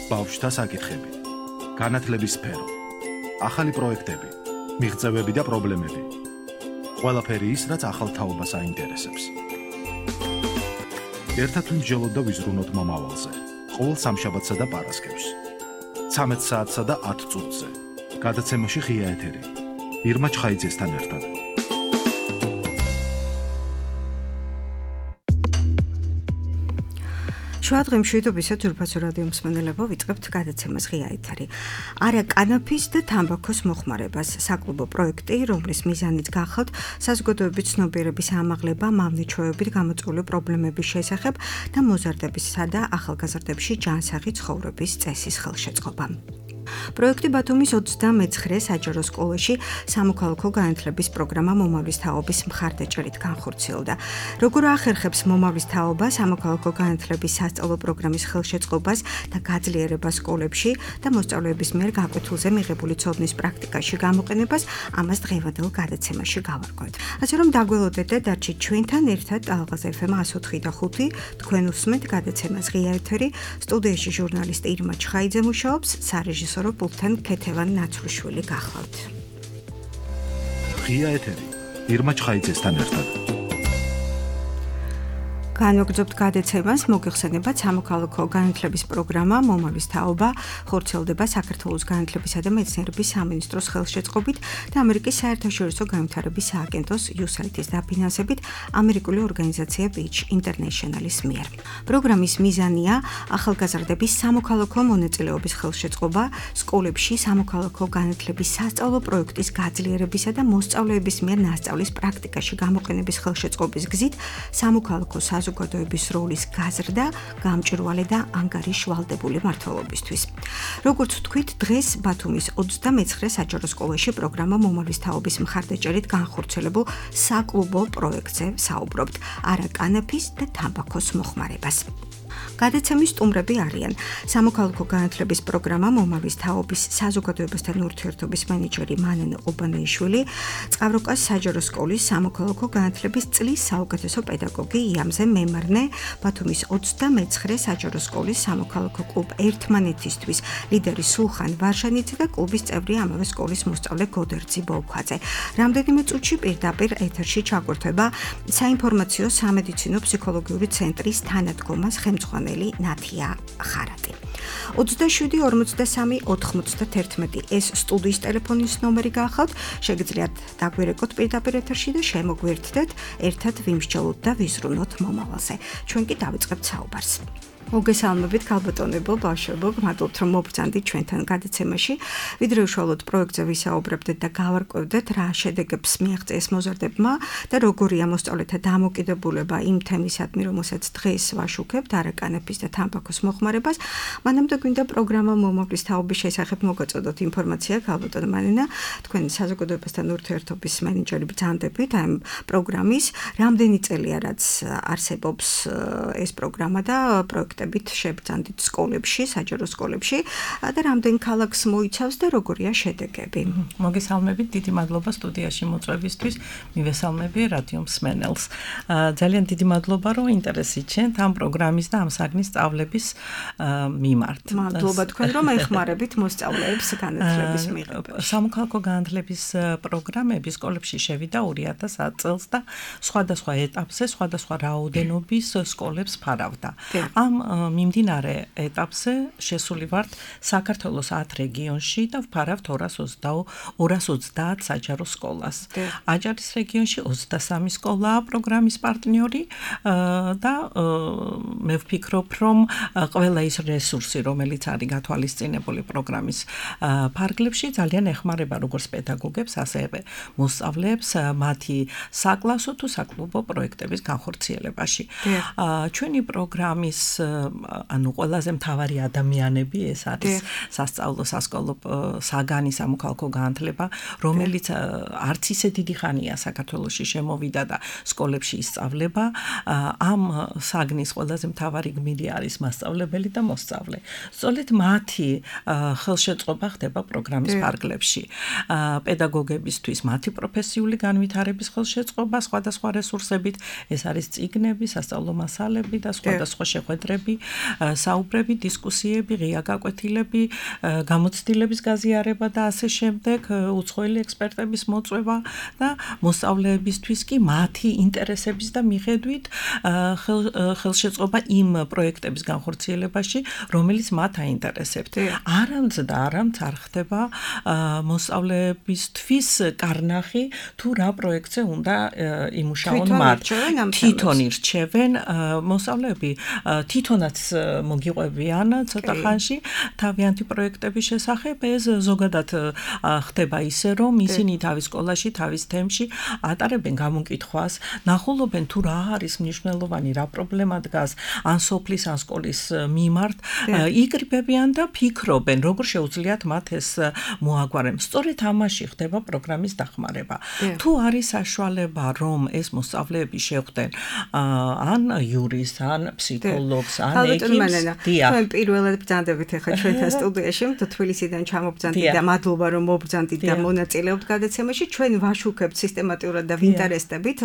ბავშვთა საკითხები, განათლების სფერო, ახალი პროექტები, მიღწევები და პრობლემები. ყველაფერი ის, რაც ახალ თაობას აინტერესებს. ერთად ვიმსჯელოთ და ვიზრუნოთ მომავალზე. ყოველ სამშაბათსა და პარასკევს. 13 საათსა და 10 წუთზე. გადაცემაში ღია ეთერი. ირმა ჩხაიძესთან ერთად. შუადღემში თობისად ძურფასო რადიო მსმენელებო ვიწყებთ გადაცემას ღია ეთერი. არა კანაფის და თამბაქოს მოხმარებას საკლუბო პროექტი, რომლის მიზანიც გახავთ საზოგადოების ცნობიერების ამაღლება მავნეჩვეობით გამოწვეული პრობლემების შესახებ და მოზარდებისა და ახალგაზრდებში ჯანსაღი ცხოვრების წესის ხელშეწყობა. პროექტი ბათუმის 29 საჯარო სკოლაში სამოქალაქო განათლების პროგრამა მომავლის თაობის მხარდაჭერით განხორციელდა. როგორ ახერხებს მომავლის თაობა სამოქალაქო განათლების სასწავლო პროგრამის ხელშეწყობას და გაძლიერებას სკოლებში და მოსწავლეების მიერ გაკვეთილზე მიღებული ცოდნის პრაქტიკაში გამოყენებას, ამას დღევანდელ გადაცემაში გავარკვევთ. ასე რომ დაგველოდეთ და დარჩით ჩვენთან ერთად ალღაზ FM 104.5 თქვენ უსმენთ გადაცემას ღია ეთერი. სტუდიაში ჟურნალისტი ირმა ჩხაიძე მუშაობს, სარეჟისორო პულტთან ქეთევან ნაცრუშვილი გახლავთ. ღია ეთერი. ირმა ჩხაიძესთან ერთად. განვაგრძობთ გადაცემას, მოგეხსენებათ სამოქალაქო განათლების პროგრამა მომავლის თაობა ხორციელდება საქართველოს განათლებისა და მეცნიერების სამინისტროს ხელშეწყობით და ამერიკის საერთაშორისო განვითარების სააგენტოს USAID-ის დაფინანსებით ამერიკული ორგანიზაცია Beach International-ის მიერ. პროგრამის მიზანია ახალგაზრდების სამოქალაქო მონაწილეობის ხელშეწყობა, სკოლებში სამოქალაქო განათლების სასწავლო პროექტის გაძლიერებისა და მოსწავლეების მიერ მასწავლის პრაქტიკაში გამოყენების ხელშეწყობის გზით სამოქალაქო საზოგადოების როლის გაზრდა, გამჭვირვალე და ანგარიშვალდებული მმართველობისთვის. როგორც ვთქვით, დღეს ბათუმის 29 საჯარო სკოლაში პროგრამა მომავლის თაობის მხარდაჭერით განხორციელებულ საკლუბო პროექტზე საუბრობთ. არა კანაფის და თამბაქოს მოხმარებას. გადაცემის სტუმრები არიან სამოქალაქო განათლების პროგრამა მომავლის თაობის საზოგადოებასთან ურთიერთობის მენეჯერი მანენე ობანეიშვილი, წყავროკას საჯარო სკოლის სამოქალაქო განათლების წლის საუკეთესო პედაგოგი იამზე მემარნე, ბათუმის 29 საჯარო სკოლის სამოქალაქო კლუბ ერთმანეთისთვის ლიდერი სულხან ვარშანიძე და კლუბის წევრი ამავე სკოლის მოსწავლე გოდერძი ბოლქვაძე. რამდენიმე წუთში პირდაპირ ეთერში ჩაგვერთვება საინფორმაციო სამედიცინო ფსიქოლოგიური ცენტრის თანადგომას ხელმძღვანელი ნათია ხარატი. 27 43 91 ეს სტუდიის ტელეფონის ნომერი გახავთ, შეგიძლიათ დაგვირეკოთ პირდაპირ ეთერში და შემოგვერთდეთ, ერთად ვიმსჯელოთ და ვიზრუნოთ მომავალზე. ჩვენ კი დავიწყებთ საუბარს. მოგესალმებით ქალბატონებო, ბავშვებო, მადლობთ რომ მობრძანდით ჩვენთან გადაცემაში. ვიდრე უშუალოდ პროექტზე ვისაუბრებდეთ და გავარკვევდეთ რა შედეგებს მიაღწიეს მოზარდებმა და როგორია მოსწავლეთა დამოკიდებულება იმ თემისადმი, რომელსაც დღეს ვაშუქებთ, არა კანაფის და თამბაქოს მოხმარებას. მანამდე გვინდა პროგრამა მომავლის თაობის შესახებ მოგაწოდოთ ინფორმაცია, ქალბატონ მანენა, თქვენ საზოგადოებასთან ურთიერთობის მენეჯერი ბრძანდებით ამ პროგრამის, რამდენი წელია რაც არსებობს ეს პროგრამა და პროექტებით შებრძანდით სკოლებში, საჯარო სკოლებში და რამდენ ქალაქს მოიცავს და როგორია შედეგები. მოგესალმებით, დიდი მადლობა სტუდიაში მოწვევისთვის, მივესალმები რადიო მსმენელს. ძალიან დიდი მადლობა, რომ ინტერესი ჩენთ ამ პროგრამის და ამ საგნის სწავლების მიმართ. მადლობა თქვენ, რომ ეხმარებით მოსწავლეებს განათლების მიღებაში. სამოქალაქო განათლების პროგრამები სკოლებში შევიდა 2000 წელს და სხვადასხვა ეტაპზე, სხვადასხვა რაოდენობის სკოლებს ფარავდა. ამ მიმდინარე ეტაპზე შესული ვართ საქართველოს 10 რეგიონში და ვფარავთ 230 საჯარო სკოლას. აჭარის რეგიონში 23 სკოლაა პროგრამის პარტნიორი და მე ვფიქრობ, რომ ყველა ის რესურსი, რომელიც არის გათვალისწინებული პროგრამის ფარგლებში, ძალიან ეხმარება როგორც პედაგოგებს, ასევე მოსწავლეებს მათი საკლასო თუ საკლუბო პროექტების განხორციელებაში. ჩვენი პროგრამის ანუ ყველაზე მთავარი ადამიანები ეს არის სასწავლო სასკოლო საგანი სამოქალაქო განათლება, რომელიც არც ისე დიდი ხანია საქართველოში შემოვიდა და სკოლებში ისწავლება. ამ საგნის ყველაზე მთავარი გმირი არის მასწავლებელი და მოსწავლე. სწორედ მათი ხელშეწყობა ხდება პროგრამის ფარგლებში. პედაგოგებისთვის მათი პროფესიული განვითარების ხელშეწყობა სხვადასხვა რესურსებით, ეს არის წიგნები, სასწავლო მასალები და სხვადასხვა შეხვედრები საკითხები, საუბრები, დისკუსიები, ღია გაკვეთილები, გამოცდილების გაზიარება და ასე შემდეგ, უცხოელი ექსპერტების მოწვევა და მოსწავლეებისთვის კი მათი ინტერესების და მიხედვით ხელშეწყობა იმ პროექტების განხორციელებაში, რომელიც მათ აინტერესებთ. არამც არ ხდება მოსწავლეებისთვის კარნახი თუ რა პროექტზე უნდა იმუშაონ მათ. თვითონ ირჩევენ მოსწავლეები, თვითონაც მოგიყვებიან ცოტა ხანში თავიანთი პროექტების შესახებ. ეს ზოგადად ხდება ისე, რომ ისინი თავის სკოლაში, თავის თემში ატარებენ გამოკითხვას, ნახულობენ თუ რა არის მნიშვნელოვანი, რა პრობლემა დგას ან სოფლის, ან სკოლის მიმართ, იკრიბებიან და ფიქრობენ, როგორ შეუძლიათ მათ ეს მოაგვარონ. სწორედ ამაში ხდება პროგრამის დახმარება. თუ არის საშუალება, რომ ეს მოსწავლეები შეხვდნენ ან იურისტს, ან ფსიქოლოგს, ან ეკიმს, თქვენ პირველად ბრძანდებით ახლა ჩვენთან სტუდიაში, თუ თბილისიდან ჩამობრძანდით და მადლობა რომ მობრძანდით და მონაწილეობთ გადაცემაში, ჩვენ ვაშუქებთ სისტემატურად და ვინტერესდებით,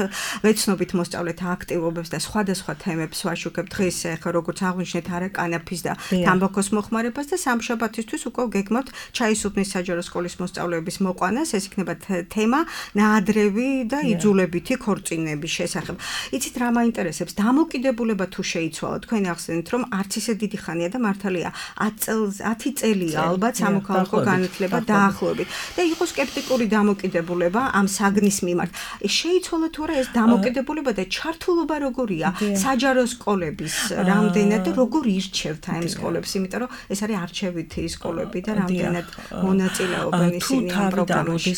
ვეცნობით მოსწავლეთა აქტივობებს და სხვადასხვა თემებს ვაშუქებთ. დღეს ახლა როგორც აღვნიშნეთ, არაკანაფის და თამბაქოს მოხმარებას და სამშაბათისთვის უკვე გეგმავთ ჩაისუფნის საჯარო სკოლის მოსწავლეების მოყვანას. ეს იქნება თემა ნაადრევი და იძულებითი ქორწინების შესახებ. იცით რა მაინტერესებს? დამოკიდებულება თუ შეიცვალა, თქვენ ახსენეთ, რომ არც ისე დიდი ხანია და მართალია 10 წელია ალბათ სამოქალაქო განათლება დაახლოებით. და იყო სკეპტიკური დამოკიდებულება ამ საგნის მიმართ. შეიცვალა თუ არა ეს დამოკიდებულება და ჩართულობა როგორია საჯარო სკოლების რამდენად და როგორ ირჩევთ ამ სკოლებს, იმიტომ რომ ეს არის არჩევითი სკოლები და რამდენად მონაწილეობენ ისინი ამ პროგრამაში.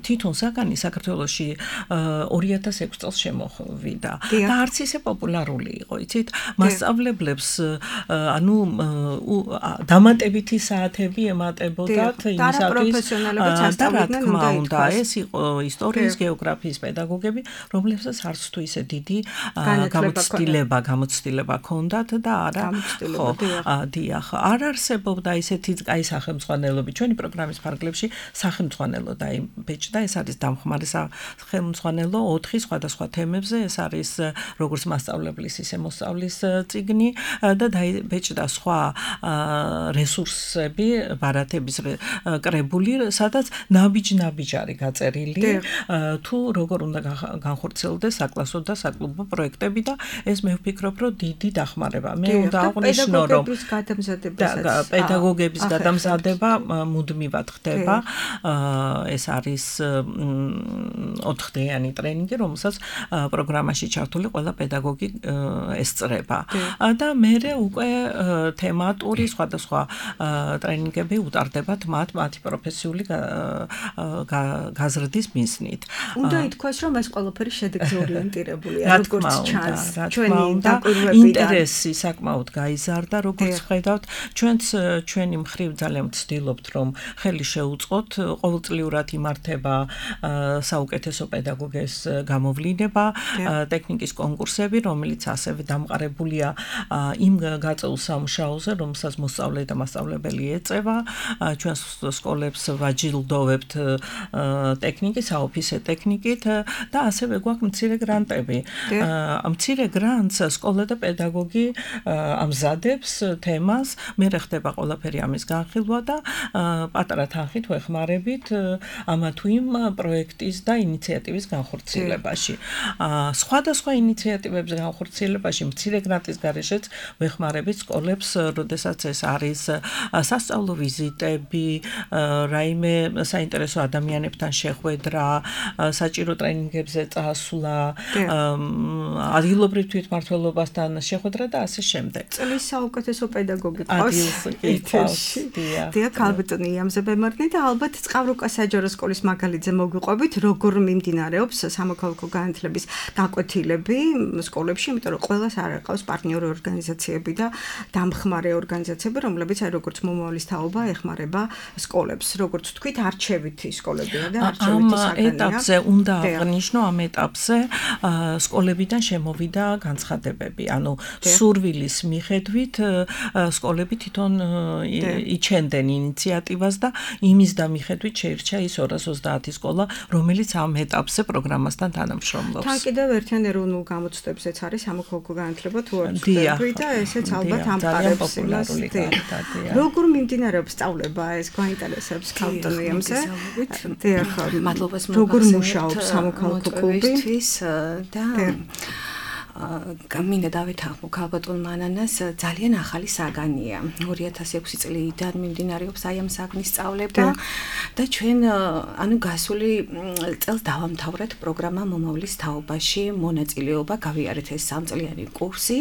თვითონ საგანი საქართველოში 2006 წელს შემოვიდა და არც ისე პოპულარული იყო, იცით? მასწავლებლებს ანუ დამატებითი საათები ემატებოდათ იმისათვის და რა თქმა უნდა, ეს იყო ისტორიის, გეოგრაფიის პედაგოგები, რომლებსაც არც თუ ისე დიდი გამოცდილება ჰქონდათ და არა დიახ, არ არსებობდა ისეთი კაი სახელმძღვანელოები. ჩვენი პროგრამის ფარგლებში სახელმძღვანელო დაიბეჭდა, ეს არის დამხმარე სახელმძღვანელო 4 სხვადასხვა თემებზე, ეს არის როგორც მასწავლებლის, ისე მოსწავლის წიგნი და დაიბეჭდა სხვა რესურსები, ბარათების კრებული, სადაც ნაბიჯ არის გაწერილი, თუ როგორ უნდა განხორციელდეს საკლასო და საკლუბო პროექტები და ეს მე ვფიქრობ, რომ დიდი დახმარება. მე უნდა აღვნიშნო, რომ პედაგოგების გადამზადება მუდმივად ხდება. ეს არის 4-დღიანი ტრენინგი, რომელსაც პროგრამაში ჩართული ყველა პედაგოგი ესწრება. და მე უკვე თემატური სხვადასხვა ტრენინგები უტარდებათ მათი პროფესიული გაზრდის მიზნით. უნდა ითქვას, რომ ეს ყველაფერი შედეგზე ორიენტირებულია, როგორც ჩანს. ჩვენი ინტერესი საკმაოდ გაიზარდა, როგორც ხედავთ, ჩვენი მხრივ ძალიან ვცდილობთ, რომ ხელი შეუწყოთ, ყოველწლიურად იმართება საუკეთესო პედაგოგის გამოვლინება, ტექნიკის კონკურსები, რომელიც ასევე დამყარებულია იმ გაწეულ სამუშაოზე, რომელსაც მოსწავლე და მასწავლებელი ეწევა. ჩვენ სკოლებს ვაჯილდოვებთ ტექნიკის, საოფისე ტექნიკით და ასევე გვაქვს მცირე გრანტები. მცირე გრანტს სკოლა და პედაგოგი ამზადებს თემას, მე ხდება ყველაფერი ამის განხილვა და პატარა თანხით ვეხმარებით ამა თუ იმ პროექტის და ინიციატივის განხორციელებაში. სხვადასხვა ინიციატივების განხორციელებაში მცირე გრანტის გარეშეც ვეხმარებით სკოლებს, როდესაც ეს არის სასწავლო ვიზიტები, რაიმე საინტერესო ადამიანებთან შეხვედრა, საჭირო ტრენინგებზე წასვლა, ადგილობრივ თვითმმართველობასთან შეხვედრა და ასე შემდეგ. წლის საუკეთესო პედაგოგი ყავს. დიახ, ალბათ იამზე ბემარნი და ალბათ წყავრუკა საჯარო სკოლის მაგალითზე მოგვიყვებით, როგორ მიმდინარეობს სამოქალაქო განათლების გაკვეთილები სკოლებში, იმიტომ რომ ყველას არ aqავს პარტნიორი ორგანიზაციები და დამხმარე ორგანიზაციები, რომლებიც აი როგორც მომავლის თაობა ეხმარება სკოლებს, როგორც თქვით, არჩევითი სკოლებია და არჩევითი საგანია. ამ ეტაპზე უნდა აღნიშნო, ამ ეტაპზე სკოლებიდან შემოვიდა განცხადებები, ანუ სურვილის მიხედვით სკოლები თვითონ იჩენდნენ ინიციატივას და იმის დამიხედვით შეირჩა ის 230 სკოლა, რომელიც ამ ეტაპზე პროგრამასთან თანამშრომლობს. თან კიდევ ერთიან ეროვნულ გამოცდებზეც არის სამოქალაქო განათლება თუ არ ვცდები. ვარსკვლავები და ესეც ალბათ ამყარებს იმას. როგორ მიმდინარეობს სწავლება ეს გვაინტერესებს კანტონიემზე? დიახ, მადლობას როგორ მუშაობს სამოქალაქო კლუბი და მინდა დავეთანხმო ქალბატონ მანანას ძალიან ახალი საგანია 2006 წლიდან მიმდინარეობს აი ამ საგნის სწავლება და ჩვენ ანუ გასული წელს დავამთავრეთ პროგრამა მომავლის თაობაში მონაწილეობა გავიარეთ ეს 3 წლიანი კურსი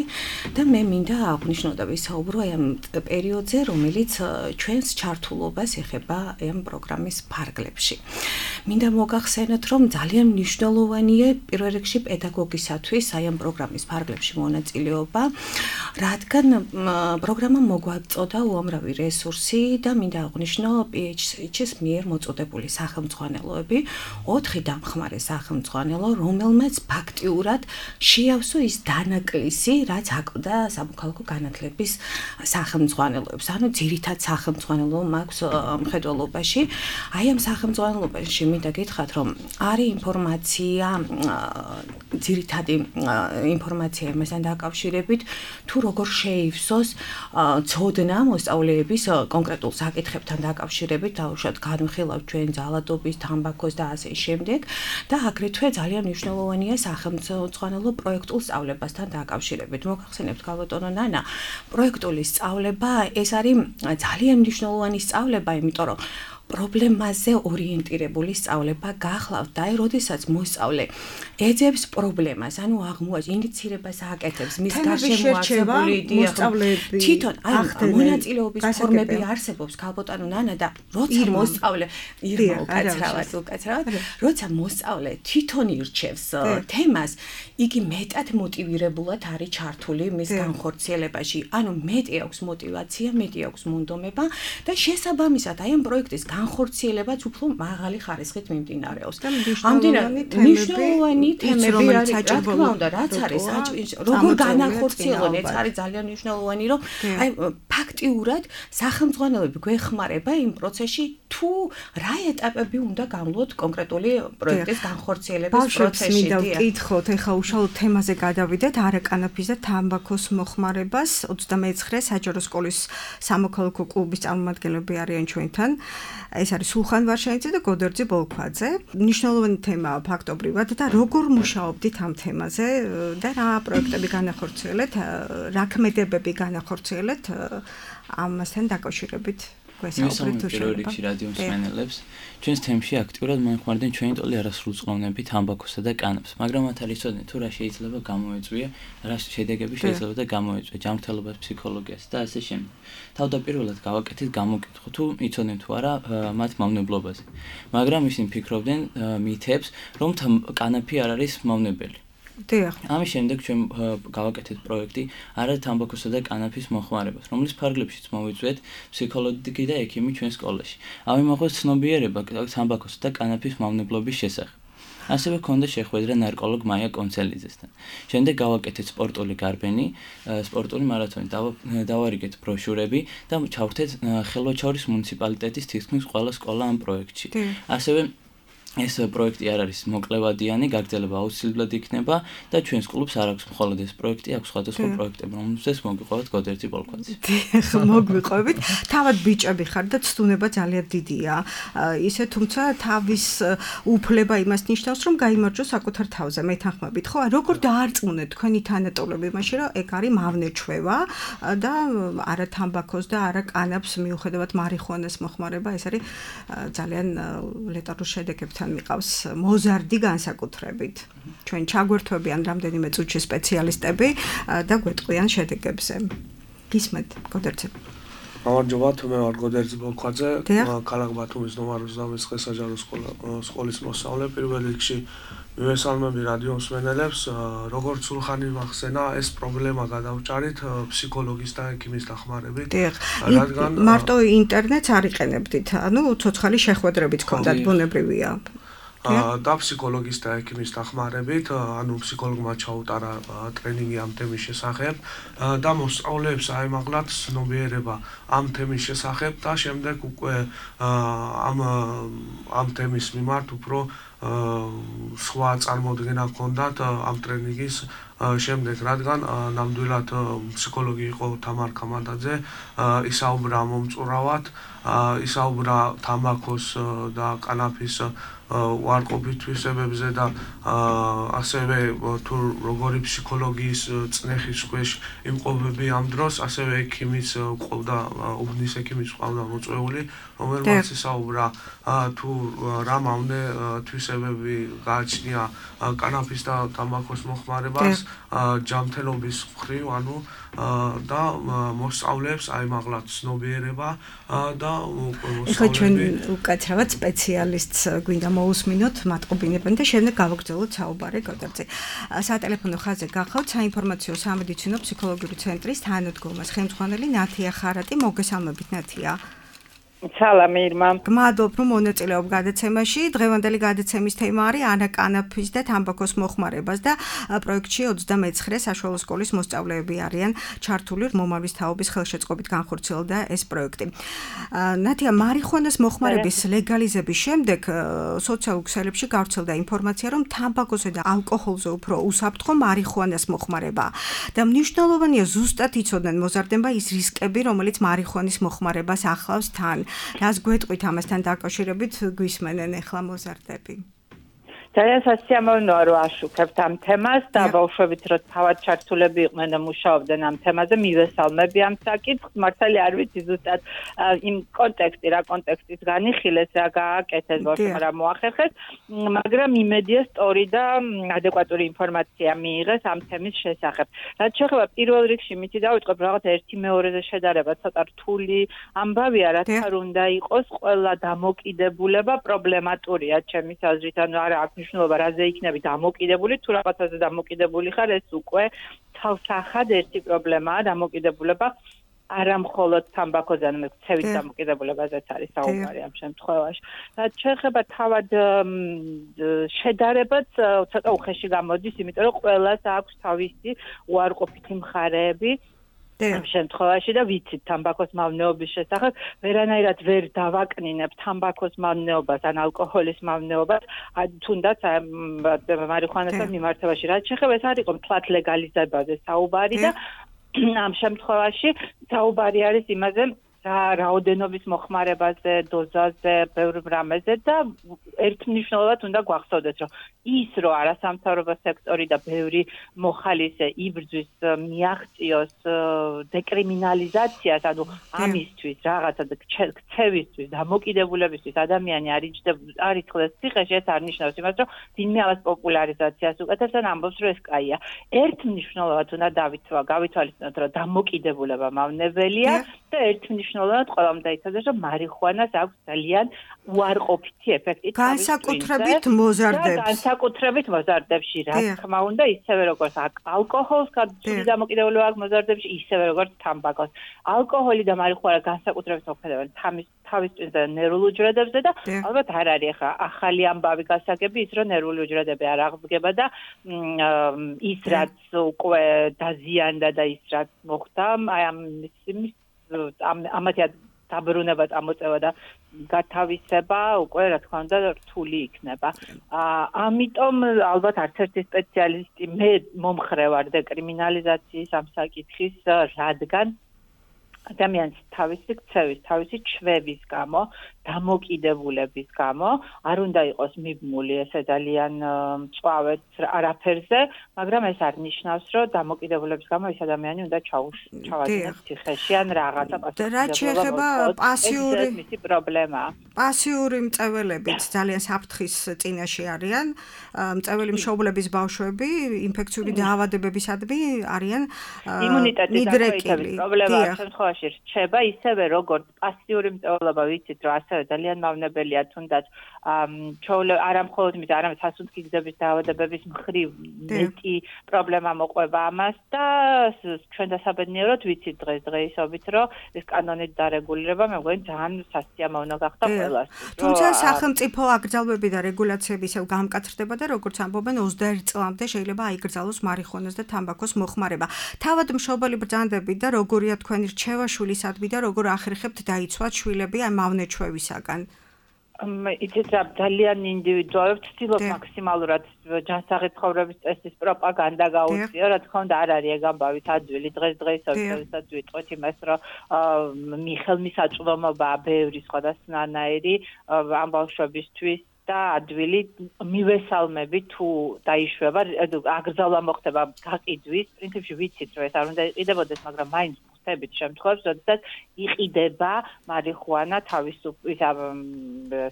და მე მინდა აღვნიშნო და ვისაუბრო აი ამ პერიოდზე რომელიც ჩვენს ჩართულობას ეხება ამ პროგრამის ფარგლებში მინდა მოგახსენოთ რომ ძალიან მნიშვნელოვანია პირველ რიგში პედაგოგისათვის აი ამ პროგრამის ფარგლებში მონაწილეობა, რადგან პროგრამა მოგვაწოდა უამრავი რესურსი და მინდა აღვნიშნო PHH-ის მიერ მოწოდებული სახელმძღვანელოები, 4 დამხმარე სახელმძღვანელო, რომელმაც ფაქტიურად შეავსო ის დანაკლისი, რაც აკლდა სამოქალაქო განათლების სახელმძღვანელოებს. ანუ ძირითად სახელმძღვანელო მაქვს მხედველობაში. აი ამ სახელმძღვანელობაში მინდა გითხრათ, რომ არის ინფორმაცია ძირითადი ინფორმაცია იმასთან დაკავშირებით თუ როგორ შეივსოს ცოდნა მოსწავლეების კონკრეტულ საკითხებთან დაკავშირებით დაუშვათ განვიხილავთ ჩვენ ძალადობის, თამბაქოს და ასე შემდეგ და აგრეთვე ძალიან მნიშვნელოვანია სახელმძღვანელო პროექტულ სწავლებასთან დაკავშირებით. მოგახსენებთ ქალბატონო ნანა, პროექტული სწავლება ეს არის ძალიან მნიშვნელოვანი სწავლება, იმიტომ რომ პრობლემაზე ორიენტირებული სწავლება გახლავთ და როდესაც მოსწავლე ეძებს პრობლემას, ანუ ინიცირებას აკეთებს, მის გარშემო არსებული მოსწავლეები თვითონ აი მონაწილეობის ფორმები არსებობს ქალბატონო ნანა და როცა მოსწავლე უკაცრავად, როცა მოსწავლე თვითონ ირჩევს თემას, იგი მეტად მოტივირებულად არის ჩართული მის განხორციელებაში, ანუ მეტი აქვს მოტივაცია, მეტი აქვს მონდომება და შესაბამისად აი ამ პროექტის განხორციელებაც უფრო მაღალი ხარისხით მიმდინარეობს. მნიშვნელოვანი თემები არის, რა თქმა უნდა, რაც არის როგორ განახორციელონ, ეს არის ძალიან მნიშვნელოვანი, რომ აი ფაქტიურად სახელმძღვანელოები გვეხმარება იმ პროცესში, თუ რა ეტაპები უნდა გამლოთ კონკრეტული პროექტის განხორციელების პროცესში. მინდა ვკითხოთ, ეხლა უშუალოდ თემაზე გადავიდეთ, არაკანაფის და თამბაქოს მოხმარებას 29 საჯარო სკოლის სამოქალაქო კლუბის წარმომადგენლები არიან ჩვენთან. ეს არის სულხან ვარშანიძე და გოდერძი ბოლქვაძე. მნიშვნელოვანი თემაა ფაქტობრივად და როგორ მუშაობდით ამ თემაზე და რა პროექტები განახორციელეთ, რა ქმედებები განახორციელეთ ამასთან დაკავშირებით? პირველ რიგში რადიო მსმენელებს ჩვენს თემში აქტიურად მოეხმარდნენ ჩვენი ტოლი არასრულწყოვნები თამბაქოსა და კანაფს, მაგრამ მათ არ იცოდნენ თუ რა შეიძლება გამოეწვია, რა შედეგები შეიძლება და გამოეწვია ჯანმრთელობას, ფსიქოლოგიას და ასე შემდეგ. თავდაპირველად გავაკეთეთ გამოკითხვა თუ იცოდნენ თუ არა მათ მავნებლობაზე, მაგრამ ისინი ფიქრობდნენ მითებს, რომ კანაფი არ არის მავნებელი. ამის შემდეგ ჩვენ გავაკეთეთ პროექტი არა თამბაქოსა და კანაფის მოხმარებას, რომლის ფარგლებშიც მოვიწვიეთ ფსიქოლოგი და ექიმი ჩვენ სკოლაში. ავიმოხოთ ცნობიერება თამბაქოსა და კანაფის მავნებლობის შესახებ. ასევე ჰქონდა შეხვედრა ნარკოლოგ მაია კონცელიძესთან. შემდეგ გავაკეთეთ სპორტული გარბენი, სპორტული მარათონი, დავარიგეთ ბროშურები და ჩავრთეთ ხელვაჩაურის მუნიციპალიტეტის თითქმის ყველა სკოლა ამ პროექტში. ასევე ეს პროექტი არ არის მოკლევადიანი, გაგრძელება აუცილებლად იქნება და ჩვენს კლუბს არ აქვს მხოლოდ ეს პროექტი, აქვს სხვადასხვა პროექტები, რომელზეც მოგიყვებით გოდერძი ბოლქვაძე. მოგიყვებით. თავად ბიჭები ხარ და ცდუნება ძალიან დიდია. ისე თუმცა თავის უფლება იმას ნიშნავს, რომ გაიმარჯოს საკუთარ თავზე. მეთანხმებით, ხო? როგორ დაარწმუნეთ თქვენი თანატოლები მაშინ, რომ ეგ არის მავნეჩვევა და არა თამბაქოს და არა კანაფს მიუხედავად მარიხუანას მოხმარება, ეს არის ძალიან ლეტალურ შედეგებთან მიყავს მოზარდი განსაკუთრებით. ჩვენ ჩაგვერთვებიან რამდენიმე წუთში სპეციალისტები და გვეტყვიან შედეგებზე. გისმენთ, გოდერძი. გამარჯობა, მე ვარ გოდერძი ბოლქვაძე, ქალაქ ბათუმის ნომერ 29 საჯარო სკოლის მოსწავლე. პირველ რიგში მივესალმები რადიო მსმენელებს, როგორც სულხანი მახსენა, ეს პრობლემა გადავჭარით ფსიქოლოგის და ექიმის დახმარებით. რადგან მარტო ინტერნეტს არ იყენებდით, ანუ ცოცხალი შეხვედრებიც გქონდათ, ბუნებრივია. და ფსიქოლოგის და ექიმის დახმარებით, ანუ ფსიქოლოგმა ჩაუტარა ტრენინგი ამ თემის შესახებ და მოსწავლეებს აემაღლათ ცნობიერება ამ თემის შესახებ და შემდეგ უკვე ამ თემის მიმართ უფრო სხვა წარმოდგენა ჰქონდათ ამ ტრენინგის შემდეგ, რადგან ნამდვილად ფსიქოლოგი იყო თამარ ქამადაძე, ისაუბრა მომწურავად, ისაუბრა თამბაქოს და კანაფის უარყოფით თვისებებზე და ასევე თუ როგორი ფსიქოლოგიის წნეხის ქვეშ იმყოფები ამ დროს, ასევე ექიმის ყავდა, უბნის ექიმის ყავდა მოწვეული, რომელმაც ისაუბრა თუ რა მავნე თვისებები გააჩნია კანაფის და თამბაქოს მოხმარებას ჯანმრთელობის მხრივ, ანუ და მოსწავლეებს აიმაღლათ ცნობიერება და მოსწავლეები. ეხლა ჩვენ უკაცრავად სპეციალისტს გვინდა მოусმინოთ, მატყობინებენ და შემდეგ გავაგრძელოთ საუბარი გოდერძე. სატელეფონო ხაზზე გახავთ საინფორმაციო სამედიცინო ფსიქოლოგიური ცენტრის თანადგომას ხელმძღვანელი ნათია ხარატი. მოგესალმებით ნათია. სალამი ირმა. გმადლობ რომ მონაწილეობ გადაცემაში. დღევანდელი გადაცემის თემა არის ანა კანაფის და თამბაქოს მოხმარებას და პროექტში 29 საშუალო სკოლის მოსწავლეები არიან ჩართული. მომავლის თაობის ხელშეწყობით განხორციელდა ეს პროექტი. ნათია, მარიხუანას მოხმარების ლეგალიზების შემდეგ სოციალურ ქსელებში გავრცელდა ინფორმაცია, რომ თამბაქოსა და ალკოჰოლზე უფრო უსაფრთხო მარიხუანას მოხმარება და მნიშვნელოვანია ზუსტად იცოდნენ მოზარდება ის რისკები, რომელიც მარიხუანის მოხმარებას ახლავს თან. რას გვეტყვით ამასთან დაკავშირებით გვისმენენ ახლა მოზარდები? ძალიან სასიამოვნოა რომ აშუქებთ ამ თემას და ბავშვებით რომ თავად ჩართულები იყვნენ და მუშაობდნენ ამ თემაზე, მივესალმები ამ საკითხს. მართალი არ ვიცი ზუსტად იმ რა კონტექსტის განიხილეს, რა გააკეთეს ბავშვებმა, რა მოახერხეს, მაგრამ იმედია სწორი და ადეკვატური ინფორმაცია მიიღეს ამ თემის შესახებ. რაც შეეხება პირველ რიგში მითი დავიწყებ რაღაც ერთი მეორეზე შედარება ცოტა რთული ამბავია, რაც არ უნდა იყოს, ყველა დამოკიდებულება პრობლემატურია ჩემის აზრით, ანუ არა აქვს მნიშვნელობა რაზე იქნები დამოკიდებული, თუ რაღაცაზე დამოკიდებული ხარ, ეს უკვე თავსახად ერთი პრობლემაა დამოკიდებულება არა მხოლოდ თამბაქოზე, ანუ ცევით დამოკიდებულებაზეც არის საუბარი ამ შემთხვევაში. რაც შეეხება თავად შედარებაც ცოტა უხეში გამოდის, იმიტომ რომ ყველას აქვს თავისი უარყოფითი მხარეები ამ შემთხვევაში და ვიცით თამბაქოს მავნეობის შესახებ, ვერანაირად ვერ დავაკნინებ თამბაქოს მავნეობას ან ალკოჰოლის მავნეობას, თუნდაც მარიხუანასთან მიმართებაში. რაც შეეხება ეს არის მთლად ლეგალიზებაზე საუბარი და ამ შემთხვევაში საუბარი არის იმაზე, რაოდენობის მოხმარებაზე, დოზაზე, ბევრ რამეზე და ერთმნიშვნელოვნად უნდა გვახსოვდეს, რომ ის რომ არასამთავრობო სექტორი და ბევრი მოხალისე იბრძვის მიაღწიოს დეკრიმინალიზაციას, ანუ ამისთვის რაღაცა ქცევისთვის, დამოკიდებულებისთვის ადამიანი არ იცხლეს ციხეში, ეს არ ნიშნავს იმას, რომ ვინმე ამას პოპულარიზაციას უკეთებს და ამბობს, რომ ეს კაია. ერთმნიშვნელოვნად უნდა გავითვალისწინოთ, რომ დამოკიდებულება მავნებელია და ერთმნიშვნელოვნად ყველამ დაიცადეს, რომ მარიხუანას აქვს ძალიან უარყოფითი ეფექტი განსაკუთრებით მოზარდებს. განსაკუთრებით მოზარდებში, რა თქმა უნდა, ისევე როგორც ალკოჰოლს გარკვეული დამოკიდებულება აქვს მოზარდებში, ისევე როგორც თამბაქოს. ალკოჰოლი და მარიხუანა განსაკუთრებით მოქმედებენ თავის ტვინზე ნერვულ უჯრედებზე და ალბათ არ არის ახლა ახალი ამბავი გასაგები ის, რომ ნერვული უჯრედები არ აღდგება და ის რაც უკვე დაზიანდა და ის რაც მოხდა, აი ამათი დაბრუნება, წამოწევა და გათავისება უკვე რა თქმა უნდა რთული იქნება. ამიტომ ალბათ არც ერთი სპეციალისტი მე მომხრე ვარ დეკრიმინალიზაციის ამ საკითხის, რადგან ადამიანს თავისი ქცევის, თავისი ჩვევის გამო, დამოკიდებულების გამო არ უნდა იყოს მიბმული ესე ძალიან მწვავედ არაფერზე, მაგრამ ეს არ ნიშნავს, რომ დამოკიდებულების გამო ეს ადამიანი უნდა ჩავადგინოს ციხეში ან რაღაცა რაც შეეხება მისი პრობლემაა. პასიური მწველებით ძალიან საფრთხის წინაშე არიან. მწველი მშობლების ბავშვები ინფექციური დაავადებებისადმი არიან იმუნიტეტის პრობლემა შემთხვევაში რჩება ისევე როგორც პასიური მწველობა, ვიცით რომ ასევე ძალიან მავნებელია თუნდაც არა მხოლოდ მით არამედ სასუნთქი გზების დაავადებების მხრივ მეტი პრობლემა მოყვება ამას და ჩვენ დასაბედნიეროდ ვიცით დღესდღეობით რომ ეს კანონით დარეგულირება მე მგონი ძალიან სასიამოვნო გახდა ყველას. თუმცა სახელმწიფო აკრძალვები და რეგულაციები ისევ გამკაცრდება და როგორც ამბობენ 21 წლამდე შეიძლება აიკრძალოს მარიხუანას და თამბაქოს მოხმარება. თავად მშობელი ბრძანდებით და როგორია თქვენი რჩევა შვილისადმი და როგორ ახერხებთ დაიცვათ შვილები ამ მავნე ჩვევისაგან? იცით რა ძალიან ინდივიდუალურად ვცდილობ მაქსიმალურად ჯანსაღი ცხოვრების წესის პროპაგანდა გაუწიო, რა თქმა უნდა არ არის ეგ ამბავით ადვილი დღესდღეობით ვიტყვით იმას, რომ ხელმისაწვდომობაა ბევრი სხვადასხვანაირი ამ ბავშვებისთვის და ადვილი მივესალმები თუ დაიშვება, აკრძალვა მოხდება გაკიდვის, პრინციპში ვიცით რომ ეს არ უნდა იყიდებოდეს, მაგრამ მაინც ხდებით შემთხვევებს, როდესაც იყიდება მარიხუანა, თავისუფლად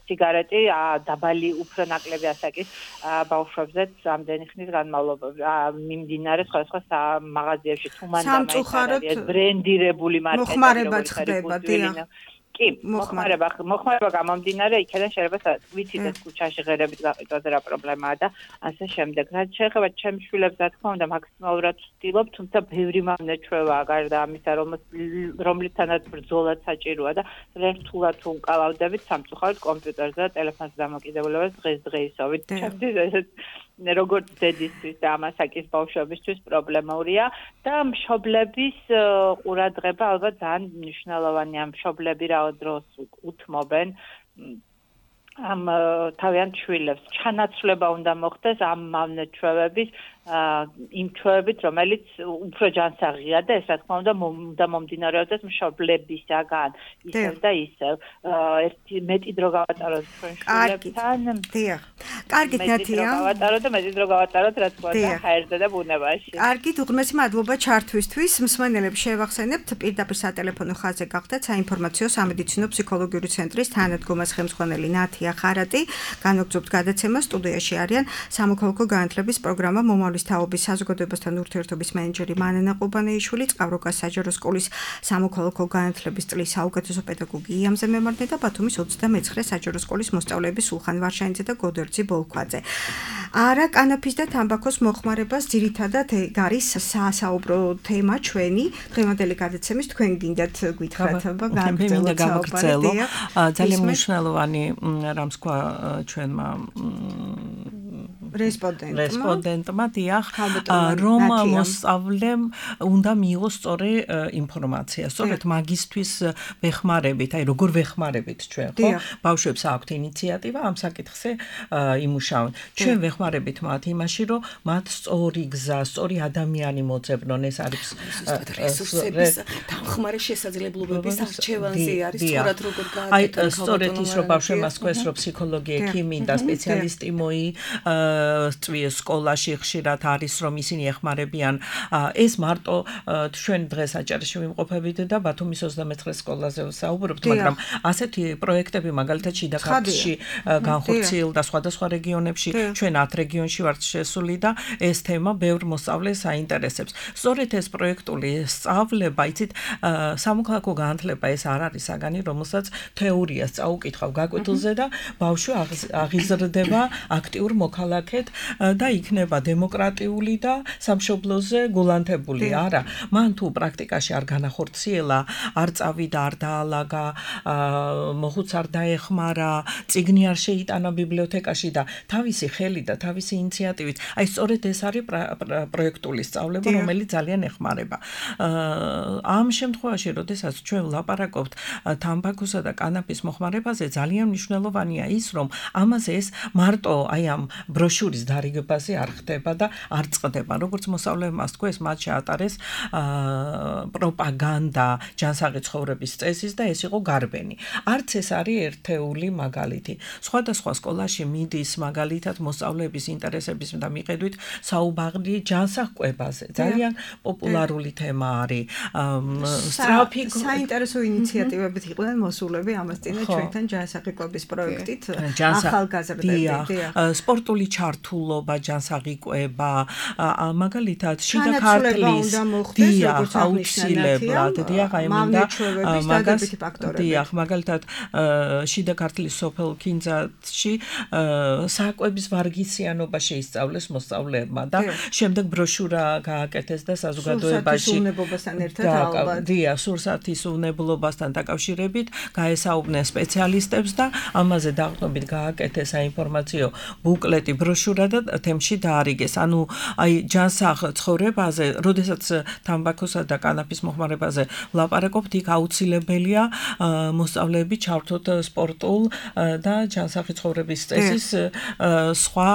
სიგარეტი, დაბალი უფრო ნაკლები ასაკის ბავშვებზეც ამდენი ხნის განმავლობაში მიმდინარე სხვადასხვა მაღაზიებში თუ მანდამაიცა ბრენდირებული მარკეტი მოხმარებაც ხდება, დიახ. კი, მოხმარება გამომდინარე, იქიდან შეიძლება ვიცით ეს ქუჩაში ღერებით გაყიდვაზე რა პრობლემაა და ასე შემდეგ. რაც შეეხება ჩემს შვილებს, რა თქმა უნდა, მაქსიმალურად ვცდილობ, თუმცა ბევრი მომნეჩვევაა გარდა ამისა, რომლითანაც ბრძოლაც საჭიროა და რთულად თუ უკალავდებით სამწუხაროდ კომპიუტერზე და ტელეფონზე დამოკიდებულებას დღესდღეობით. ჩემთვის ესეც როგორც დედისთვის და ამასაკის ბავშვებისთვის პრობლემურია და მშობლების ყურადღება ალბათ ძალიან მნიშვნელოვანია. მშობლები რა დროს უთმობენ ამ თავიანთ შვილებს. ჩანაცვლება უნდა მოხდეს ამ მავნეჩვევების იმ ჩვევებით, რომელიც უფრო ჯანსაღია და ეს რა თქმა უნდა მომდინარეობდეს მშობლებისაგან ისევ და ისევ. ერთი მეტი დრო გავატაროთ ჩვენ შვილებთან. დიახ. კარგით, ნათია. გავატაროთ და მეტი დრო გავატაროთ, რა თქმა უნდა, ჰაერზე და ბუნებაში. კარგით, უღრმესი მადლობა ჩართვისთვის. მსმენელებს შევახსენებთ, პირდაპირ სატელეფონო ხაზზე გახდათ საინფორმაციო სამედიცინო ფსიქოლოგიური ცენტრის თანადგომას ხელმძღვანელი ნათია ხარატი. განვაგრძობთ გადაცემას, სტუდიაში არიან სამოქალაქო განათლების პროგრამა მომავლის თაობის საზოგადოებასთან ურთიერთობის მენეჯერი მანანა ყუბანეიშვილი, წყავროკას საჯარო სკოლის სამოქალაქო განათლების წლის საუკეთესო პედაგოგი იამზე მემარნე და ბათუმის 29 საჯარო სკოლის მოსწავლეები სულხან ვარშანიძე და გოდერძი ბოლქვაძე. არა კანაფის და თამბაქოს მოხმარებას ძირითადად არის საასაუბრო თემა ჩვენი დღევანდელი გადაცემის. თქვენ გინდათ გითხრათ გავაგრძელო. ძალიან მნიშვნელოვანი რამს თქვა ჩვენმა რესპონდენტმა დიახ, რომ მოსწავლემ უნდა მიიღოს სწორი ინფორმაცია. სწორედ მაგისთვის ვეხმარებით, აი როგორ ვეხმარებით ჩვენ, ხო? ბავშვებს აქვთ ინიციატივა ამ საკითხზე იმუშავონ. ჩვენ ვეხმარებით მათ იმაში, რომ მათ სწორი გზა, სწორი ადამიანი მოძებნონ, ეს არის რესურსების დამხმარე შესაძლებლობების არჩევანზე არის სწორად როგორ გააკეთონ. აი სწორედ ის რომ ბავშვებმა სკოლას რო ფსიქოლოგი, ექიმი და სპეციალისტი წვიეს სკოლაში ხშირად არის რომ ისინი ეხმარებიან ეს მარტო ჩვენ დღეს აჭარაში ვიმყოფებით და ბათუმის 29 სკოლაზე ვსაუბრობთ, მაგრამ ასეთი პროექტები მაგალითად შიდა ქართლში განხორციელდა და სხვადასხვა რეგიონებში, ჩვენ 10 რეგიონში ვართ შესული და ეს თემა ბევრ მოსწავლეს აინტერესებს. სწორედ ეს პროექტული სწავლება, იცით, სამოქალაქო განათლება ეს არ არის საგანი, რომელსაც თეორიას წაუკითხავ გაკვეთილზე და ბავშვი აღიზრდება აქტიურ მოქალაქედ და იქნება დემოკრატიული და სამშობლოზე გულანთებული. არა, მან თუ პრაქტიკაში არ განახორციელა, არ წავიდა, არ დაალაგა, მოხუც არ დაეხმარა, წიგნი არ შეიტანა ბიბლიოთეკაში და თავისი ხელი და თავისი ინიციატივით, აი სწორედ ეს არის პროექტული სწავლება, რომელიც ძალიან ეხმარება. ამ შემთხვევაში, როდესაც ჩვენ ვლაპარაკობთ თამბაქოსა და კანაფის მოხმარებაზე, ძალიან მნიშვნელოვანია ის, რომ ამაზე ეს მარტო აი ამ ბროშურის დარიგებაზე არ ხდება და არ წყდება. როგორც მოსწავლეებმა თქვა, ეს მათ შეატარეს პროპაგანდა ჯანსაღი ცხოვრების წესის და ეს იყო გარბენი. არც ეს არის ერთეული მაგალითი. სხვადასხვა სკოლაში მიდის მაგალითად მოსწავლეების ინტერესების და მიხედვით საუბარი ჯანსაღკვებაზე. ძალიან პოპულარული თემა არის. სწრაფი საინტერესო ინიციატივებით იყვნენ მოსულები ამას წინა ჩვენთან ჯანსაღკვების პროექტით ახალგაზრდები. სპორტული ჩართულობა, ჯანსაღი კვება, მაგალითად შიდა ქართლის აუცილებლად, დიახ, აი მინდა მაგას დიახ, მაგალითად შიდა ქართლის სოფელ კინძათში საკვების ვარგისიანობა შეისწავლეს მოსწავლეებმა და შემდეგ ბროშურა გააკეთეს და საზოგადოებაში დიახ, სურსათის უნებლობასთან დაკავშირებით გაესაუბრნენ სპეციალისტებს და ამაზე დაყრდნობით გააკეთეს საინფორმაციო ბუკლეტი, დააშურა და თემში დაარიგეს. ანუ აი ჯანსაღ ცხოვრებაზე, როდესაც თამბაქოსა და კანაფის მოხმარებაზე ვლაპარაკობთ, იქ აუცილებელია მოსწავლეები ჩართოთ სპორტულ და ჯანსაღი ცხოვრების წესის სხვა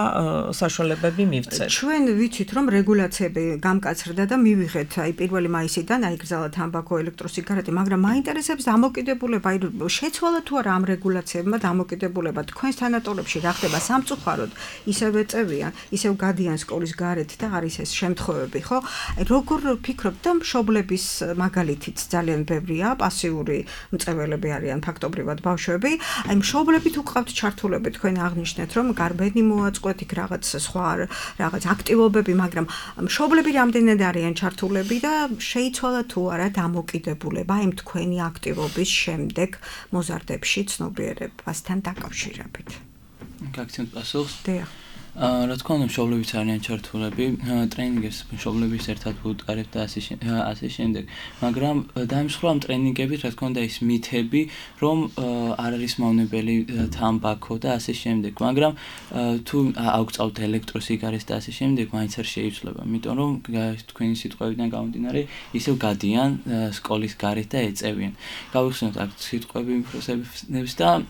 საშუალებები მივცეთ. ჩვენ ვიცით, რომ რეგულაციები გამკაცრდა და მივიღეთ აი 1 მაისიდან აიგრძალა თამბაქო, ელექტროსიგარეტი, მაგრამ მაინტერესებს დამოკიდებულება, აი შეცვალა თუ არა ამ რეგულაციებმა დამოკიდებულება თქვენს თანატოლებში რა ხდება სამწუხაროდ, ისევ ეწევიან, ისევ გადიან სკოლის გარეთ და არის ეს შემთხვევები, ხო? აი როგორ ფიქრობთ და მშობლების მაგალითიც ძალიან ბევრია, პასიური მწველები არიან ფაქტობრივად ბავშვები, აი მშობლები თუ გყავთ ჩართულები, თქვენ აღნიშნეთ, რომ გარბენი მოაწყვეთ იქ რაღაც სხვა რაღაც აქტივობები, მაგრამ მშობლები რამდენად არიან ჩართულები და შეიცვალა თუ არა დამოკიდებულება იმ თქვენი აქტივობის შემდეგ მოზარდებში ცნობიერებასთან დაკავშირებით. გაგცემთ პასუხს? დიახ. რა თქმა უნდა, მშობლებიც არიან ჩართულები, ტრენინგებს მშობლების ერთად ვუტყარებთ და ასე შემდეგ. მაგრამ დაიმსხვრა ამ ტრენინგებით, რა თქმა უნდა, ის მითები, რომ არ არის მავნებელი თამბაქო და ასე შემდეგ. მაგრამ თუ აუგწავთ ელექტროსიგარეტს და ასე შემდეგ, მაინც არ შეიცვლება, იმიტომ რომ თქვენი სიტყვებიდან გამომდინარე, ისევ გადიან სკოლის გარეთ და ეწევიან. გავიხსენოთ აქ სიტყვები მიფროსებს და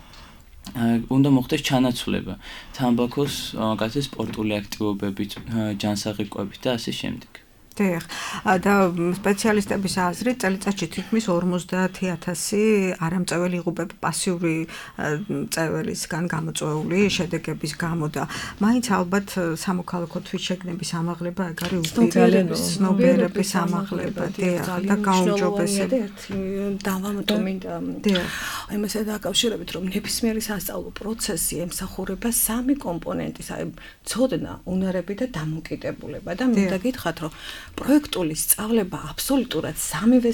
უნდა მოხდეს ჩანაცვლება თამბაქოს გასეს სპორტული აქტივობებით, ჯანსაღი კვებით და ასე შემდეგ. დიახ. და სპეციალისტების აზრით წელიწადში თითქმის 50,000 არამწეველი იღუპება პასიური წეველისგან გამოწვეული შედეგების გამო და მაინც ალბათ სამოქალაქო თვითშეგნების ამაღლება ეგ არის ცნობიერების ამაღლება და გაუმჯობესება. დავამატო მინდა იმასთან დაკავშირებით, რომ ნებისმიერი სასწავლო პროცესი ემსახურება 3 კომპონენტის, აი ცოდნა, უნარები და დამოკიდებულება და მინდა გითხრათ, რომ პროექტული სწავლება აბსოლუტურად 3-ვე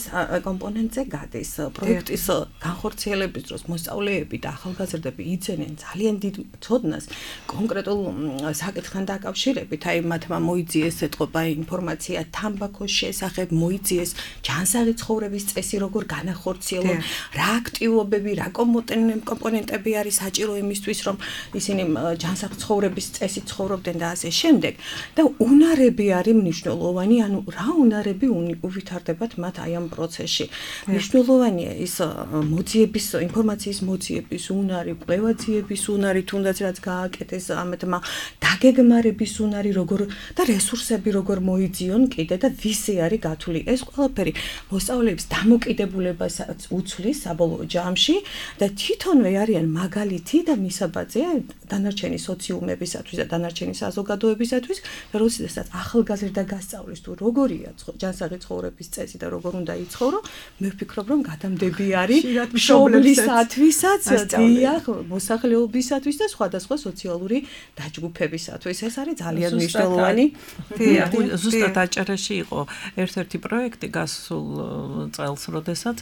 კომპონენტზე გადის. პროექტის განხორციელების დროს მოსწავლეები და ახალგაზრდები იძენენ ძალიან დიდ ცოდნას კონკრეტულ საკითხთან დაკავშირებით, აი მათმა მოიძიეს ეთყობა ინფორმაცია თამბაქოს შესახებ, მოიძიეს ჯანსაღი ცხოვრების წესი როგორ განახორციელონ, რა აქტივობები, რა კომპონენტები არის საჭირო იმისთვის, რომ ისინი ჯანსაღ ცხოვრების წესით ცხოვრობდნენ და ასე შემდეგ. და უნარები არის მნიშვნელოვანი, ანუ რა უნარები უვითარდებათ მათ აი ამ პროცესში. მნიშვნელოვანია ის მოძიების, ინფორმაციის მოძიების უნარი, კვლევაძიების უნარი, თუნდაც რაც გააკეთეს ამეთმა დაგეგმარების უნარი, როგორ და რესურსები როგორ მოიძიონ კიდე და ვისი არის გათვლილი. ეს ყველაფერი მოსწავლეებს დამოკიდებულებასაც უცვლის საბოლოო ჯამში და თვითონვე არიან მაგალითი და მისაბაძე დანარჩენი სოციუმებისათვის და დანარჩენი საზოგადოებისათვის, როდესაც ახალგაზრდა გასწავლის თუ როგორია ჯანსაღი ცხოვრების წესი და როგორ უნდა იცხოვრო, მე ვფიქრობ, რომ გადამდები არის მშობლისათვისაც, დიახ, მოსახლეობისათვის და სხვადასხვა სოციალური დაჯგუფებისათვის. ეს არის ძალიან მნიშვნელოვანი. ზუსტად აჭარაში იყო ერთ-ერთი პროექტი გასულ წელს, როდესაც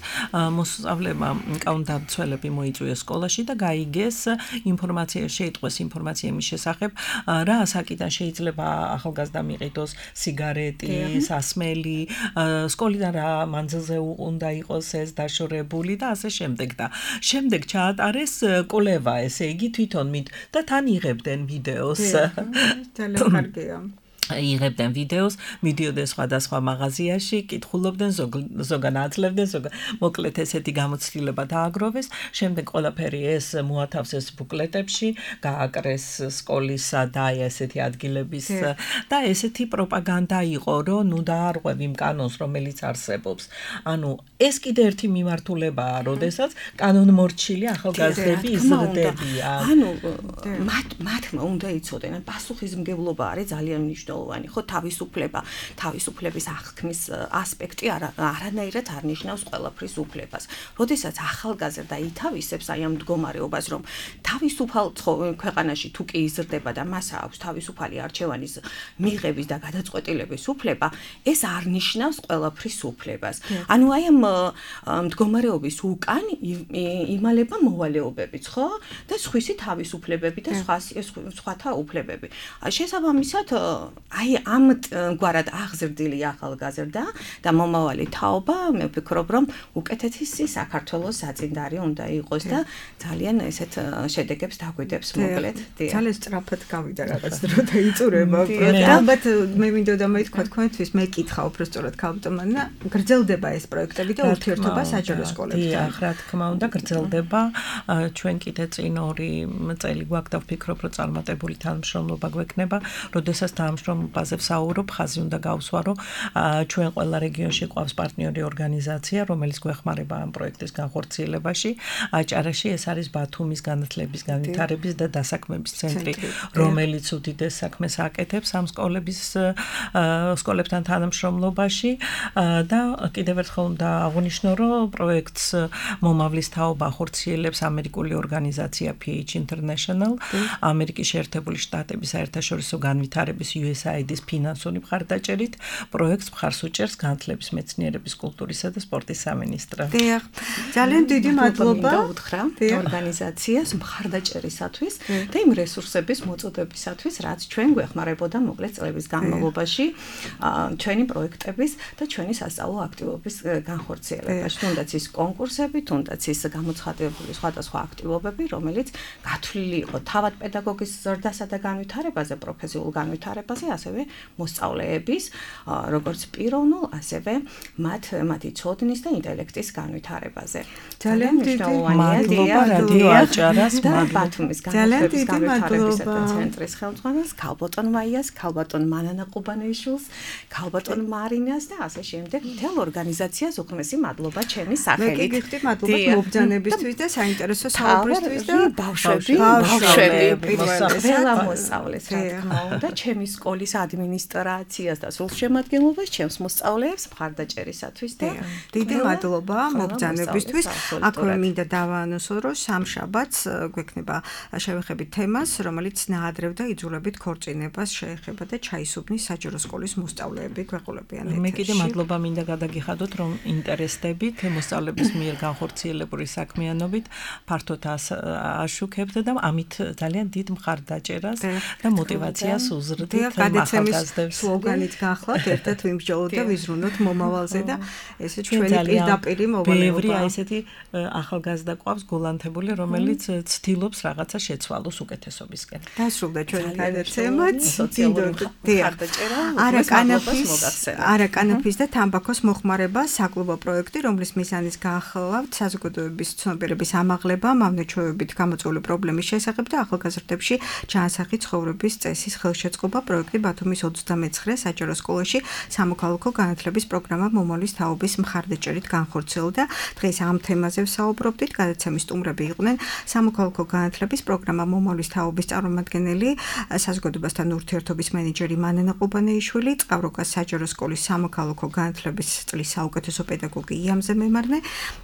მოსწავლეებმა კანონდამცველები მოიწვიეს სკოლაში და გაიგეს ინფორმაცია, შეიტყვეს ინფორმაცია იმის შესახებ, რა საკიდან შეიძლება ახალგაზრდამ იყიდოს სიგარეტი, სასმელი, სკოლიდან რა მანძილზე უნდა იყოს ეს დაშორებული და ასე შემდეგ და შემდეგ ჩაატარეს კვლევა, ესე იგი თვითონ და თან იღებდნენ ვიდეოს. ძალიან კარგია. იღებდნენ ვიდეოს, მიდიოდნენ სხვადასხვა მაღაზიაში, კითხულობდნენ, ზოგან აძლევდნენ, მოკლედ ესეთი გამოცდილება დააგროვეს, შემდეგ ყველაფერი ეს მოათავსეს ბუკლეტებში, გააკრეს სკოლისა და ესეთი ადგილების და ესეთი პროპაგანდა იყო, რომ ნუ დაარღვევ იმ კანონს, რომელიც არსებობს. ანუ ეს კიდე ერთი მიმართულებაა, როდესაც კანონმორჩილი ახალგაზრდები იზრდებიან. ანუ მათმა უნდა იცოდნენ, პასუხისმგებლობა არის ძალიან მნიშვნელოვანი. ხო, თავისუფლების აღქმის ასპექტი არანაირად არ ნიშნავს ყველაფრის უფლებას. როდესაც ახალგაზრდა ითავისებს აი ამ მდგომარეობას, რომ თავისუფალ ქვეყანაში თუ კი იზრდება და მას აქვს თავისუფალი არჩევანის მიღების და გადაწყვეტილების უფლება, ეს არ ნიშნავს ყველაფრის უფლებას. ანუ აი ამ მდგომარეობის უკან იმალება მოვალეობებიც, ხო? და სხვისი თავისუფლებები და სხვათა უფლებები. შესაბამისად აი ამ გვარად აღზრდილი ახალგაზრდა და მომავალი თაობა მე ვფიქრობ რომ უკეთესი საქართველოს საწინდარი უნდა იყოს და ძალიან ესეთ შედეგებს დაგვიდებს მოკლედ. ძალიან სწრაფად გავიდა რაღაც დრო და იწურება. ალბათ მე მინდოდა მეთქვა თქვენთვის მე კითხა უბრალოდ ქალბატონმა გრძელდება ეს პროექტები და ურთიერთობა საჯარო სკოლებთან. დიახ, რა თქმა უნდა გრძელდება. ჩვენ კიდე წინ 2 წელი გვაქვს და ვფიქრობ რომ წარმატებული თანამშრომლობა გვექნება, როდესაც თანამშრომლობაზე ვსაუბრობ, ხაზი უნდა გავსვა, რომ ჩვენ ყველა რეგიონში ყავს პარტნიორი ორგანიზაცია, რომელიც გვეხმარება ამ პროექტის განხორციელებაში. აჭარაში ეს არის ბათუმის განათლების, განვითარების და დასაქმების ცენტრი, რომელიც უდიდეს საქმეს აკეთებს ამ სკოლებთან თანამშრომლობაში და კიდევ ერთხელ უნდა აღვნიშნო, რომ პროექტს მომავლის თაობა ხორციელებს ამერიკული ორგანიზაცია PH International, ამერიკის შეერთებული შტატების საერთაშორისო განვითარების USAID-ის ფინანსური მხარდაჭერით, პროექტს მხარს უჭერს განათლების, მეცნიერების, კულტურისა და სპორტის სამინისტრო. დიახ. ძალიან დიდი მადლობა უთხრა ორგანიზაციას მხარდაჭერისათვის და იმ რესურსების მოწოდებისათვის, რაც ჩვენ გვეხმარებოდა მოკლედ წლების განმავლობაში ჩვენი პროექტების და ჩვენი სასწავლო აქტივობის განხორციელებაში. თუნდაც ის კონკურსები, თუნდაც ის გამოცხადებული სხვადასხვა აქტივობები, რომელიც გათვლილი იყო თავად პედაგოგის ზრდასა და განვითარებაზე, პროფესიულ განვითარებაზე, ასევე მოსწავლეების, როგორც პიროვნულ, ასევე მათი ცოდნის და ინტელექტის განვითარებაზე. ძალიან დიდი მადლობა რადიო აჭარას, ბათუმის განათლების განვითარების ცენტრის ხელმძღვანელს, ქალბატონ მაიას, ქალბატონ მანანა ყუბანეიშვილს, ქალბატონ მარინას და ასე შემდეგ მთელ ორგანიზაციას უღრმესი მადლობა ჩემი სახელით. მე გიხდით მადლობა მობრძანებისთვის და საინტერესო საუბრისთვის და ბავშვები ყველა მოსწავლეს რა თქმა უნდა ჩემი სკოლის ადმინისტრაციას და სულ შემადგენლობას ჩემს მოსწავლეებს მხარდაჭერისათვის და დიდი მადლობა მობრძანებისთვის. აქვე მინდა დავაანონსო, რომ სამშაბათს გვექნება შევეხებით თემას, რომელიც ნაადრევ და იძულებით ქორწინებას შეეხება და ჩაისუბნის საჯარო სკოლის მოსწავლეები გვეყოლებიან ეთერში. მე კიდე მადლობა მინდა გადაგიხადოთ, რომ ინტერესდებით მოსწავლების მიერ განხორციელებული საქმიანობით ფართოდ აშუქებთ და ამით ძალიან დიდ მხარდაჭერას და мотиваციას უზრდით ახალგაზრდებს. სლოგანით გახლავთ, ერთად ვიმსჯელოთ და ვიზრუნოთ მომავალზე და ესე ჩვენი პირდაპირი მოვალეობა. ბევრი აი ესეთი ახალგაზრდა ყავს გოლანთებული, რომელიც ცდილობს რაღაცა შეცვალოს უკეთესობისკენ. დასრულდა ჩვენი გადაცემაც. არაკანაფის და თამბაქოს მოხმარება საკლუბო პროექტი, რომლის მიზანიც გაახლავთ საზოგადოების ცნობიერების ამაღლება, მავნეჩვევებით გამოწვეული პრობლემის შესახებ და ახალგაზრდებში ჩაანსახი ცხოვრების წესის ხელშეწყობა. პროექტი ბათუმის 29 საჯარო სკოლაში სამოქალაქო განათლების პროგრამა მომავლის თაობის მხარდაჭერით განხორციელდა. დღეს ამ თემაზე ვსაუბრობდით. გადაცემის სტუმრები იყვნენ სამოქალაქო განათლების პროგრამა მომავლის თაობის წარმომადგენელი, საზოგადოებასთან ურთიერთობის მენეჯერი მანანა ყუბანეიშვილი, წყავროკას საჯარო სკოლის სამოქალაქო განათლების წლის საუკეთესო პედაგოგი იამზე მემარნე,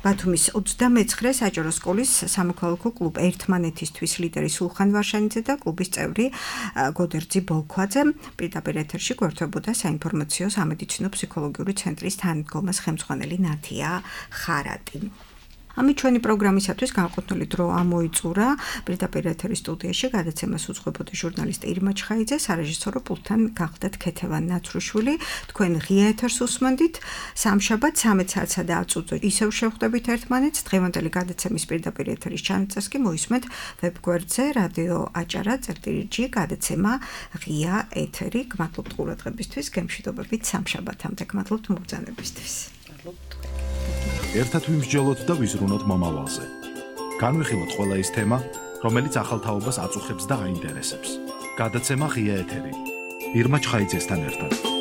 ბათუმის 29 საჯარო სკოლის სამოქალაქო კლუბ ერთმანეთისთვის ლიდერი სულხან ვარშანიძე და კლუბის წევრი გოდერძი ბოლქვაძე. პირდაპირ ეთერში გვერდებოდა საინფორმაციო სამედიცინო ფსიქოლოგიური ცენტრის თანადგომას ხელმძღვანელი ნათია ხარატი. ამით ჩვენი პროგრამისათვის განკუთვნილი დრო ამოიწურა. პირდაპირ ეთერის სტუდიაში გადაცემას უძღვებოდა ჟურნალისტი ირმა ჩხაიძე, სარეჟისორო პულტთან გახლდათ ქეთევან ნაცრუშვილი. თქვენ ღია ეთერს უსმენდით. სამშაბათ 13 საათსა და 10 წუთზე ისევ შევხვდებით ერთმანეთს. დღევანდელი გადაცემის პირდაპირ ეთერის ჩანაწერს კი მოისმენთ ვებგვერდზე რადიო აჭარა წერტილიჯი გადაცემა ღია ეთერი. გმადლობთ ყურადღებისთვის, გემშვიდობებით სამშაბათამდე. გმადლობთ მობრძანებისთვის. ერთად ვიმსჯელოთ და ვიზრუნოთ მომავალზე. განვიხილოთ ყველა ის თემა, რომელიც ახალ თაობას აწუხებს და აინტერესებს. გადაცემა ღია ეთერი. ირმა ჩხაიძესთან ერთად.